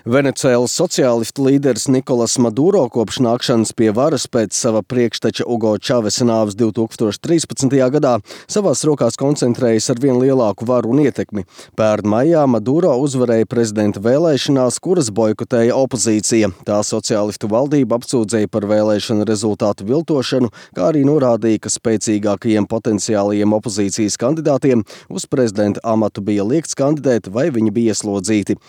Venecuēlas sociālistu līderis Nikolas Maduro kopš nākšanas pie varas pēc sava priekšteča Hugo Čavesa nāves 2013. gadā savās rokās koncentrējas ar vien lielāku varu un ietekmi. Pērn maijā Maduro uzvarēja prezidenta vēlēšanās, kuras boikotēja opozīcija. Tā sociālistu valdība apsūdzēja par vēlēšanu rezultātu viltošanu, kā arī norādīja, ka spēcīgākajiem potenciālajiem opozīcijas kandidātiem uz prezidenta amatu bija liegts kandidēt vai viņi bija ieslodzīti.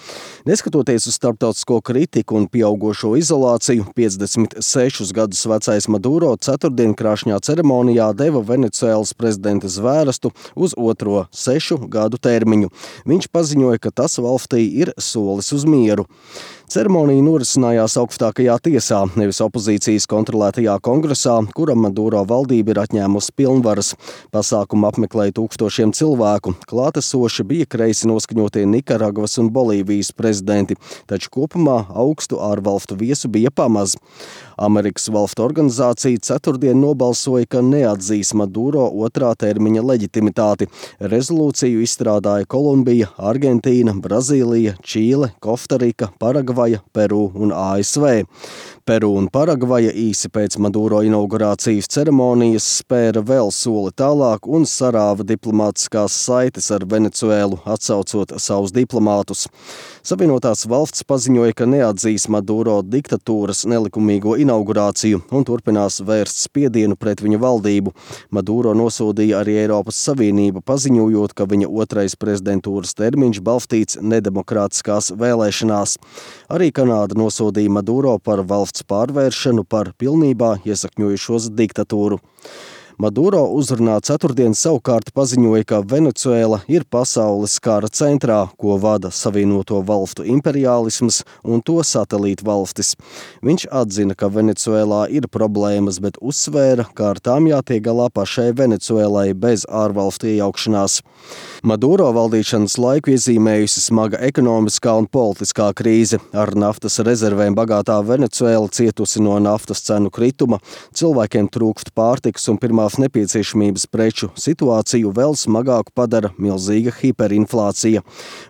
Neskatoties uz starptautisko kritiku un pieaugošo izolāciju, 56 gadus vecais Maduro ceturtdien krāšņā ceremonijā deva Venecuēlas prezidenta zvērestu uz otro 6 gadu termiņu. Viņš paziņoja, ka tas valstī ir solis uz mieru. Ceremonija norisinājās augstākajā tiesā, nevis opozīcijas kontrolētajā kongresā, kura Maduro valdība ir atņēmusi pilnvaras. Pasākumu apmeklēja tūkstošiem cilvēku. Klātesoši bija kreisi noskaņotie Nikaragvas un Bolīvijas prezidenti, taču kopumā augstu ārvalstu viesu bija pamaz. Amerikas valstu organizācija ceturtdien nobalsoja, ka neatzīs Maduro otrā termiņa leģitimitāti. Rezolūciju izstrādāja Kolumbija, Argentīna, Brazīlija, Čīle, Kostarika, Paragvaja, Peru un ASV. Peru un Paragvaja īsi pēc Maduro inaugurācijas ceremonijas spēra vēl soli tālāk un sarāva diplomātiskās saites ar Venecuēlu, atsaucot savus diplomātus. Savienotās valsts paziņoja, ka neatzīs Maduro diktatūras nelikumīgo inaugurāciju un turpinās vērst spiedienu pret viņa valdību. Maduro nosodīja arī Eiropas Savienību, paziņojot, ka viņa otrais prezidentūras termiņš balstīts nedemokrātiskās vēlēšanās. Arī Kanāda nosodīja Maduro par valsts pārvēršanu par pilnībā iesakņojušos diktatūru. Maduro uzrunā ceturtdien savukārt paziņoja, ka Venecuēla ir pasaules kara centrā, ko vada Savienoto valstu imperiālisms un to satelītu valstis. Viņš atzina, ka Venecuēlā ir problēmas, bet uzsvēra, ka ar tām jātiek galā pašai Venecuēlai bez ārvalstu iejaukšanās. Maduro valdīšanas laiku iezīmējusi smaga ekonomiskā un politiskā krīze. Ar naftas rezervēm bagātā Venecuēla cietusi no naftas cenu krituma, cilvēkiem trūkst pārtikas un pirmās nepieciešamības preču. Situāciju vēl smagāku padara milzīga hiperinflācija.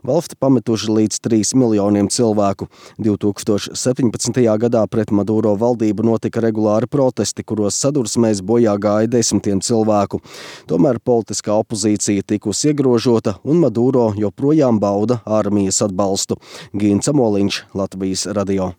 Valsti pametuši līdz 3 miljoniem cilvēku. 2017. gadā pret Maduro valdību notika regulāri protesti, kuros sadursmēs bojā gāja desmitiem cilvēku. Tomēr politiskā opozīcija tikusi iegrožota un Maduro joprojām bauda armijas atbalstu. Gīns Amoliņš, Latvijas radio.